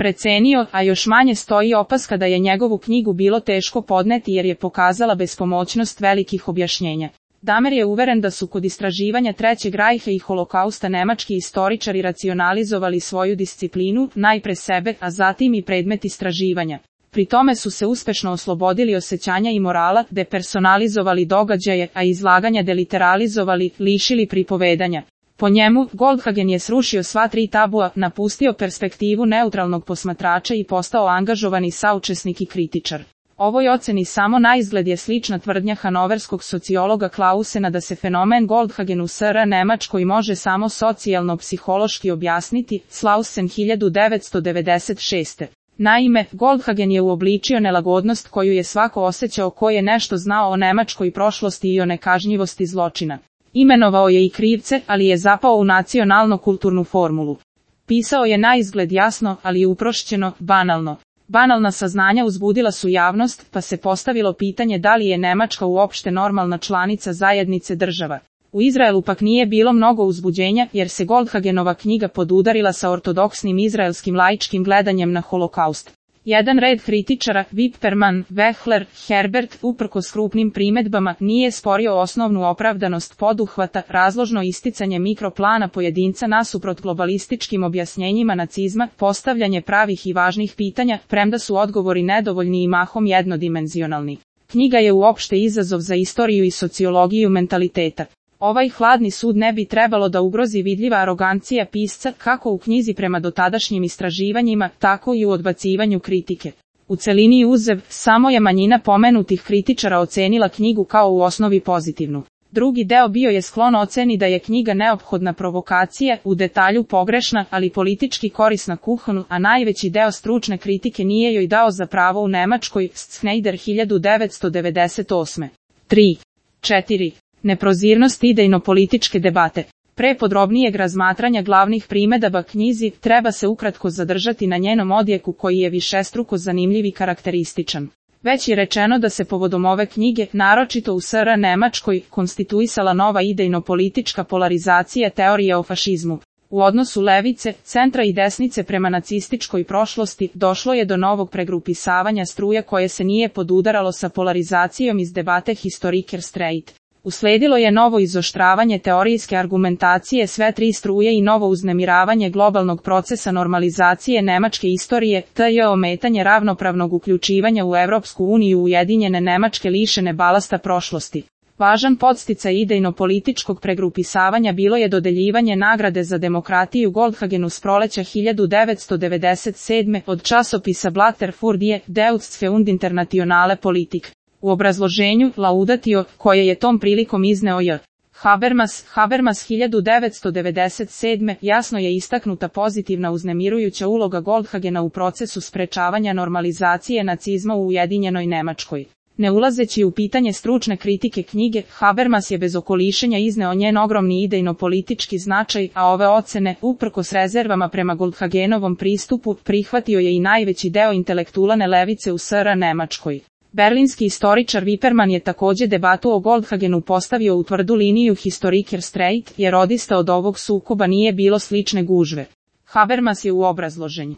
precenio, a još manje stoji opaska da je njegovu knjigu bilo teško podneti jer je pokazala bespomoćnost velikih objašnjenja. Damer je uveren da su kod istraživanja Trećeg rajha i holokausta nemački istoričari racionalizovali svoju disciplinu, najpre sebe, a zatim i predmet istraživanja. Pri tome su se uspešno oslobodili osjećanja i morala, depersonalizovali događaje, a izlaganja deliteralizovali, lišili pripovedanja. Po njemu, Goldhagen je srušio sva tri tabua, napustio perspektivu neutralnog posmatrača i postao angažovani saučesnik i kritičar. Ovoj oceni samo naizgled je slična tvrdnja hanoverskog sociologa Clausena da se fenomen Goldhagen u SR Nemačkoj može samo socijalno-psihološki objasniti, Clausen 1996. Naime, Goldhagen je uobličio nelagodnost koju je svako osjećao ko je nešto znao o nemačkoj prošlosti i o nekažnjivosti zločina. Imenovao je i krivce, ali je zapao u nacionalno-kulturnu formulu. Pisao je naizgled jasno, ali uprošćeno, banalno. Banalna saznanja uzbudila su javnost, pa se postavilo pitanje da li je Nemačka uopšte normalna članica zajednice država. U Izraelu pak nije bilo mnogo uzbuđenja, jer se Goldhagenova knjiga podudarila sa ortodoksnim izraelskim laičkim gledanjem na holokaust. Jedan red kritičara, Wipperman, Wechler, Herbert, uprkos krupnim primedbama, nije sporio osnovnu opravdanost poduhvata, razložno isticanje mikroplana pojedinca nasuprot globalističkim objašnjenjima nacizma, postavljanje pravih i važnih pitanja, premda su odgovori nedovoljni i mahom jednodimenzionalni. Knjiga je uopšte izazov za istoriju i sociologiju mentaliteta. Ovaj hladni sud ne bi trebalo da ugrozi vidljiva arogancija pisca, kako u knjizi prema dotadašnjim istraživanjima, tako i u odbacivanju kritike. U celini uzev, samo je manjina pomenutih kritičara ocenila knjigu kao u osnovi pozitivnu. Drugi deo bio je sklon oceni da je knjiga neophodna provokacija, u detalju pogrešna, ali politički korisna Kuhnu, a najveći deo stručne kritike nije joj dao za pravo u Nemačkoj, Schneider 1998. 3. 4. Neprozirnost idejno-političke debate. Pre podrobnijeg razmatranja glavnih primedaba knjizi, treba se ukratko zadržati na njenom odjeku koji je višestruko zanimljiv i karakterističan. Već je rečeno da se povodom ove knjige, naročito u SR Nemačkoj, konstituisala nova idejno-politička polarizacija teorije o fašizmu. U odnosu levice, centra i desnice prema nacističkoj prošlosti, došlo je do novog pregrupisavanja struja koje se nije podudaralo sa polarizacijom iz debate Historiker Streit. Usledilo je novo izoštravanje teorijske argumentacije sve tri struje i novo uznemiravanje globalnog procesa normalizacije nemačke istorije, t.j. ometanje ravnopravnog uključivanja u Evropsku uniju ujedinjene Nemačke lišene balasta prošlosti. Važan podsticaj idejno-političkog pregrupisavanja bilo je dodeljivanje nagrade za demokratiju Goldhagenu s proleća 1997. od časopisa Blatter für die Deutsche und internationale Politik. U obrazloženju, laudatio, koje je tom prilikom izneo J. Habermas 1997. jasno je istaknuta pozitivna uznemirujuća uloga Goldhagena u procesu sprečavanja normalizacije nacizma u ujedinjenoj Nemačkoj. Ne ulazeći u pitanje stručne kritike knjige, Habermas je bez okolišenja izneo njen ogromni idejno-politički značaj, a ove ocene, uprkos rezervama prema Goldhagenovom pristupu, prihvatio je i najveći deo intelektualne levice u SR Nemačkoj. Berlinski istoričar Wipperman je takođe debatu o Goldhagenu postavio u tvrdu liniju Historiker Streit, jer odista od ovog sukoba nije bilo slične gužve. Habermas je u obrazloženju